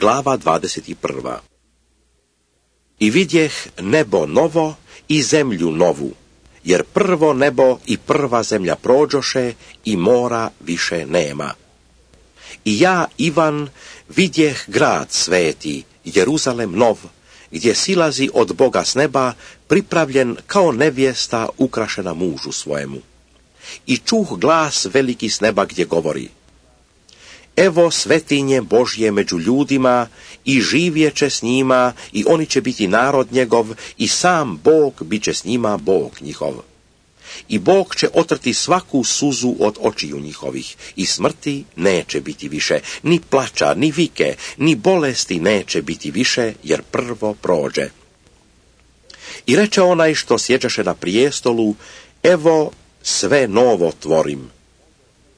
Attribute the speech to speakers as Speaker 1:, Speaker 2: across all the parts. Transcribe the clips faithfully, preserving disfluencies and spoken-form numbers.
Speaker 1: Glava dvadeset prva. I vidjeh nebo novo i zemlju novu, jer prvo nebo i prva zemlja prođoše i mora više nema. I ja, Ivan, vidjeh grad sveti, Jeruzalem nov, gdje silazi od Boga s neba, pripravljen kao nevjesta ukrašena mužu svojemu. I čuh glas veliki s neba gdje govori: Evo svetinje Božje među ljudima i živjeće s njima i oni će biti narod njegov i sam Bog bit će s njima Bog njihov. I Bog će otrti svaku suzu od očiju njihovih i smrti neće biti više, ni plača, ni vike, ni bolesti neće biti više, jer prvo prođe. I reče onaj što sjeđaše na prijestolu: Evo sve novo tvorim.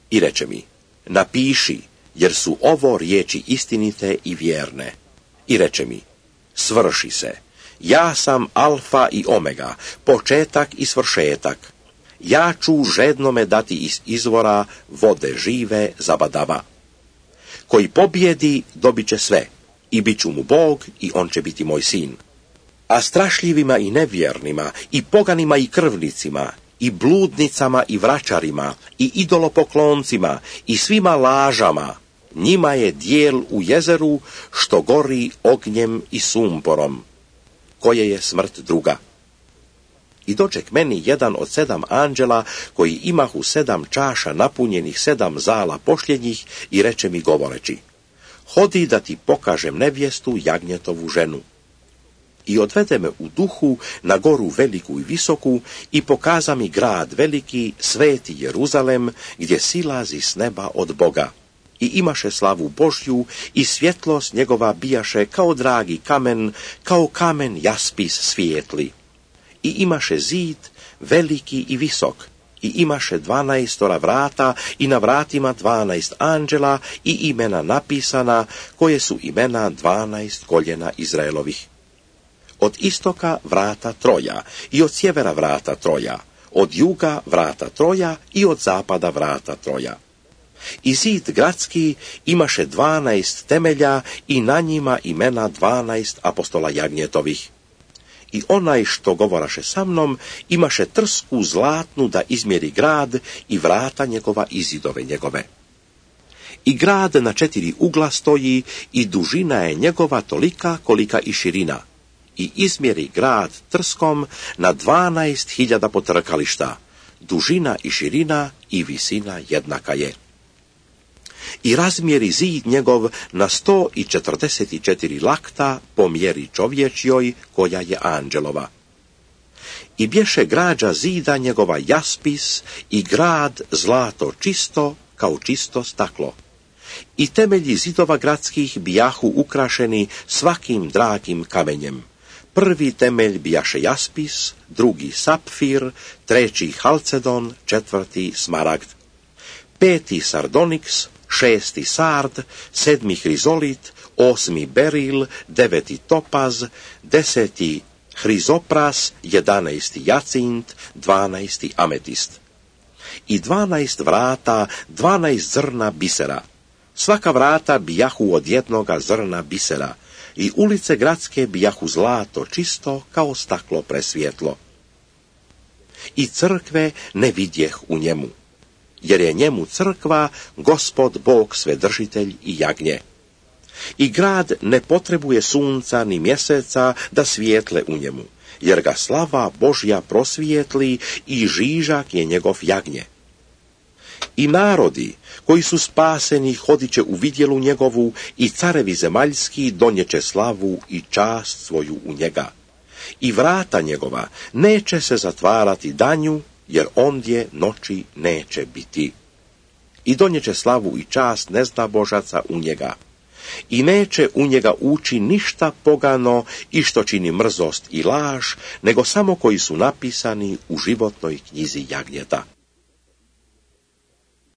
Speaker 1: I reče mi: Napiši, jer su ovo riječi istinite i vjerne. I reče mi: Svrši se, ja sam alfa i omega, početak i svršetak. Ja ću žednome dati iz izvora vode žive zabadava. Koji pobjedi dobit će sve, i bit ću mu Bog i on će biti moj sin. A strašljivima i nevjernima, i poganima i krvnicima, i bludnicama i vračarima, i idolopokloncima, i svima lažama, njima je dijel u jezeru što gori ognjem i sumporom, koje je smrt druga. I dođe k meni jedan od sedam anđela, koji imahu sedam čaša napunjenih sedam zala pošljenjih, i reče mi govoreći: Hodi da ti pokažem nevjestu, jagnjetovu ženu. I odvede me u duhu na goru veliku i visoku i pokaza mi grad veliki, sveti Jeruzalem, gdje silazi s neba od Boga. I imaše slavu Božju i svjetlost njegova bijaše kao dragi kamen, kao kamen jaspis svijetli. I imaše zid veliki i visok, i imaše dvanaestora vrata i na vratima dvanaest anđela i imena napisana, koje su imena dvanaest koljena Izraelovih. Od istoka vrata troja i od sjevera vrata troja, od juga vrata troja i od zapada vrata troja. I zid gradski imaše dvanaest temelja i na njima imena dvanaest apostola jagnjetovih. I onaj što govoraše sa mnom imaše trsku zlatnu da izmjeri grad i vrata njegova i zidove njegove. I grad na četiri ugla stoji i dužina je njegova tolika kolika i širina. I izmjeri grad trskom na dvanaest hiljada potrkališta, dužina i širina i visina jednaka je. I razmjeri zid njegov na sto i četrdeset četiri lakta po mjeri čovječjoj, koja je anđelova. I bješe građa zida njegova jaspis i grad zlato čisto kao čisto staklo. I temelji zidova gradskih bijahu ukrašeni svakim dragim kamenjem. Prvi temelj bijaše jaspis, drugi sapfir, treći halcedon, četvrti smaragd, peti sardoniks, šesti sard, sedmi hrizolit, osmi beril, deveti topaz, deseti hrizopras, jedanaesti jacint, dvanaesti ametist. I dvanaest vrata, dvanaest zrna bisera. Svaka vrata bijahu od jednoga zrna bisera, i ulice gradske bijahu zlato čisto kao staklo presvjetlo. I crkve ne vidjeh u njemu, jer je njemu crkva Gospod Bog svedržitelj i jagnje. I grad ne potrebuje sunca ni mjeseca da svijetle u njemu, jer ga slava Božja prosvijetli i žižak je njegov jagnje. I narodi koji su spaseni hodiće u vidjelu njegovu i carevi zemaljski donjeće slavu i čast svoju u njega. I vrata njegova neće se zatvarati danju, jer ondje noći neće biti. I donjeće slavu i čast nezna Božaca u njega. I neće u njega ući ništa pogano i što čini mrzost i laž, nego samo koji su napisani u životnoj knjizi jagnjeta.